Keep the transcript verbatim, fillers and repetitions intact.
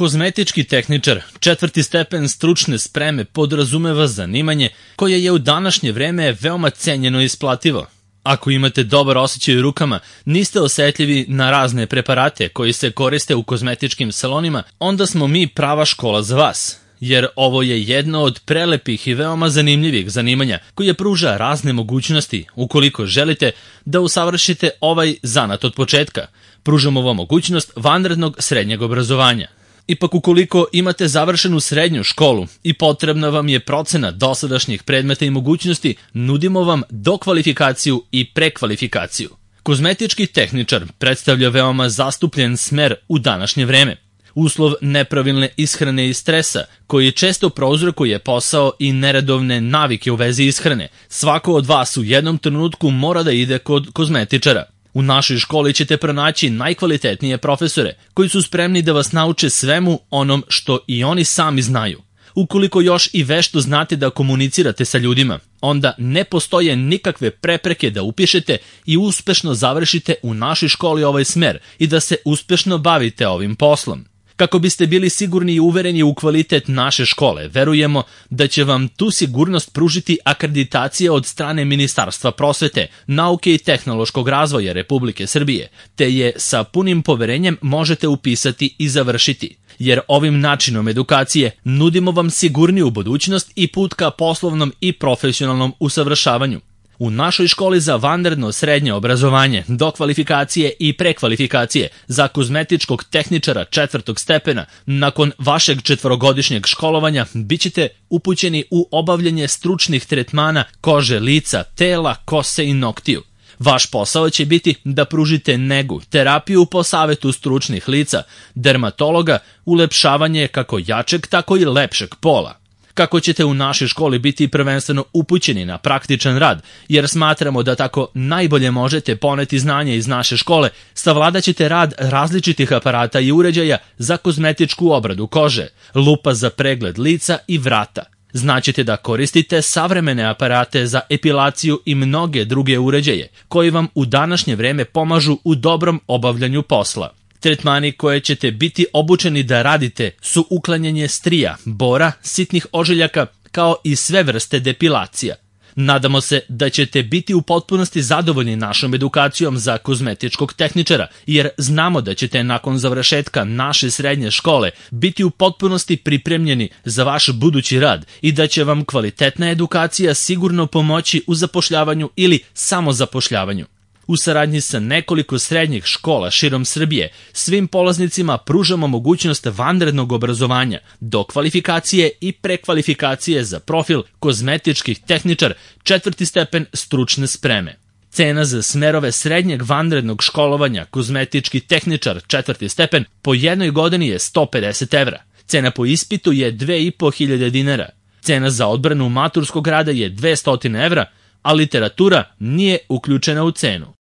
Kozmetički tehničar, četvrti stepen stručne spreme podrazumeva zanimanje koje je u današnje vreme veoma cenjeno i isplativo. Ako imate dobar osjećaj u rukama, niste osetljivi na razne preparate koji se koriste u kozmetičkim salonima, onda smo mi prava škola za vas. Jer ovo je jedno od prelepih i veoma zanimljivih zanimanja koje pruža razne mogućnosti ukoliko želite da usavršite ovaj zanat od početka. Pružamo vam mogućnost vanrednog srednjeg obrazovanja. Ipak ukoliko imate završenu srednju školu i potrebna vam je procena dosadašnjih predmeta i mogućnosti, nudimo vam dokvalifikaciju i prekvalifikaciju. Kozmetički tehničar predstavlja veoma zastupljen smer u današnje vreme. Uslov nepravilne ishrane i stresa, koji često prouzrokuje posao i neredovne navike u vezi ishrane. Svako od vas u jednom trenutku mora da ide kod kozmetičara. U našoj školi ćete pronaći najkvalitetnije profesore, koji su spremni da vas nauče svemu onom što i oni sami znaju. Ukoliko još i vešto znate da komunicirate sa ljudima, onda ne postoje nikakve prepreke da upišete i uspešno završite u našoj školi ovaj smer i da se uspešno bavite ovim poslom. Kako biste bili sigurni i uvereni u kvalitet naše škole, verujemo da će vam tu sigurnost pružiti akreditacija od strane Ministarstva prosvete, nauke i tehnološkog razvoja Republike Srbije, te je sa punim poverenjem možete upisati i završiti. Jer ovim načinom edukacije nudimo vam sigurniju budućnost i put ka poslovnom i profesionalnom usavršavanju. U našoj školi za vanredno srednje obrazovanje, dokvalifikacije i prekvalifikacije za kozmetičkog tehničara četvrtog stepena, nakon vašeg četvorogodišnjeg školovanja bit ćete upućeni u obavljanje stručnih tretmana kože, lica, tela, kose i noktiju. Vaš posao će biti da pružite negu, terapiju po savetu stručnih lica, dermatologa, ulepšavanje kako jačeg, tako i lepšeg pola. Kako ćete u našoj školi biti prvenstveno upućeni na praktičan rad, jer smatramo da tako najbolje možete poneti znanje iz naše škole, savladat ćete rad različitih aparata i uređaja za kozmetičku obradu kože, lupa za pregled lica i vrata. Znaćete da koristite savremene aparate za epilaciju i mnoge druge uređaje, koji vam u današnje vreme pomažu u dobrom obavljanju posla. Tretmani koje ćete biti obučeni da radite su uklanjanje strija, bora, sitnih ožiljaka, kao i sve vrste depilacija. Nadamo se da ćete biti u potpunosti zadovoljni našom edukacijom za kozmetičkog tehničara, jer znamo da ćete nakon završetka naše srednje škole biti u potpunosti pripremljeni za vaš budući rad i da će vam kvalitetna edukacija sigurno pomoći u zapošljavanju ili samozapošljavanju. U saradnji sa nekoliko srednjih škola širom Srbije, svim polaznicima pružamo mogućnost vanrednog obrazovanja, dokvalifikacije i prekvalifikacije za profil kozmetičkih tehničar četvrti stepen stručne spreme. Cena za smerove srednjeg vanrednog školovanja kozmetički tehničar četvrti stepen po jednoj godini je sto pedeset evra. Cena po ispitu je dve i po hiljade dinara. Cena za odbranu maturskog rada je dvesta evra, a literatura nije uključena u cenu.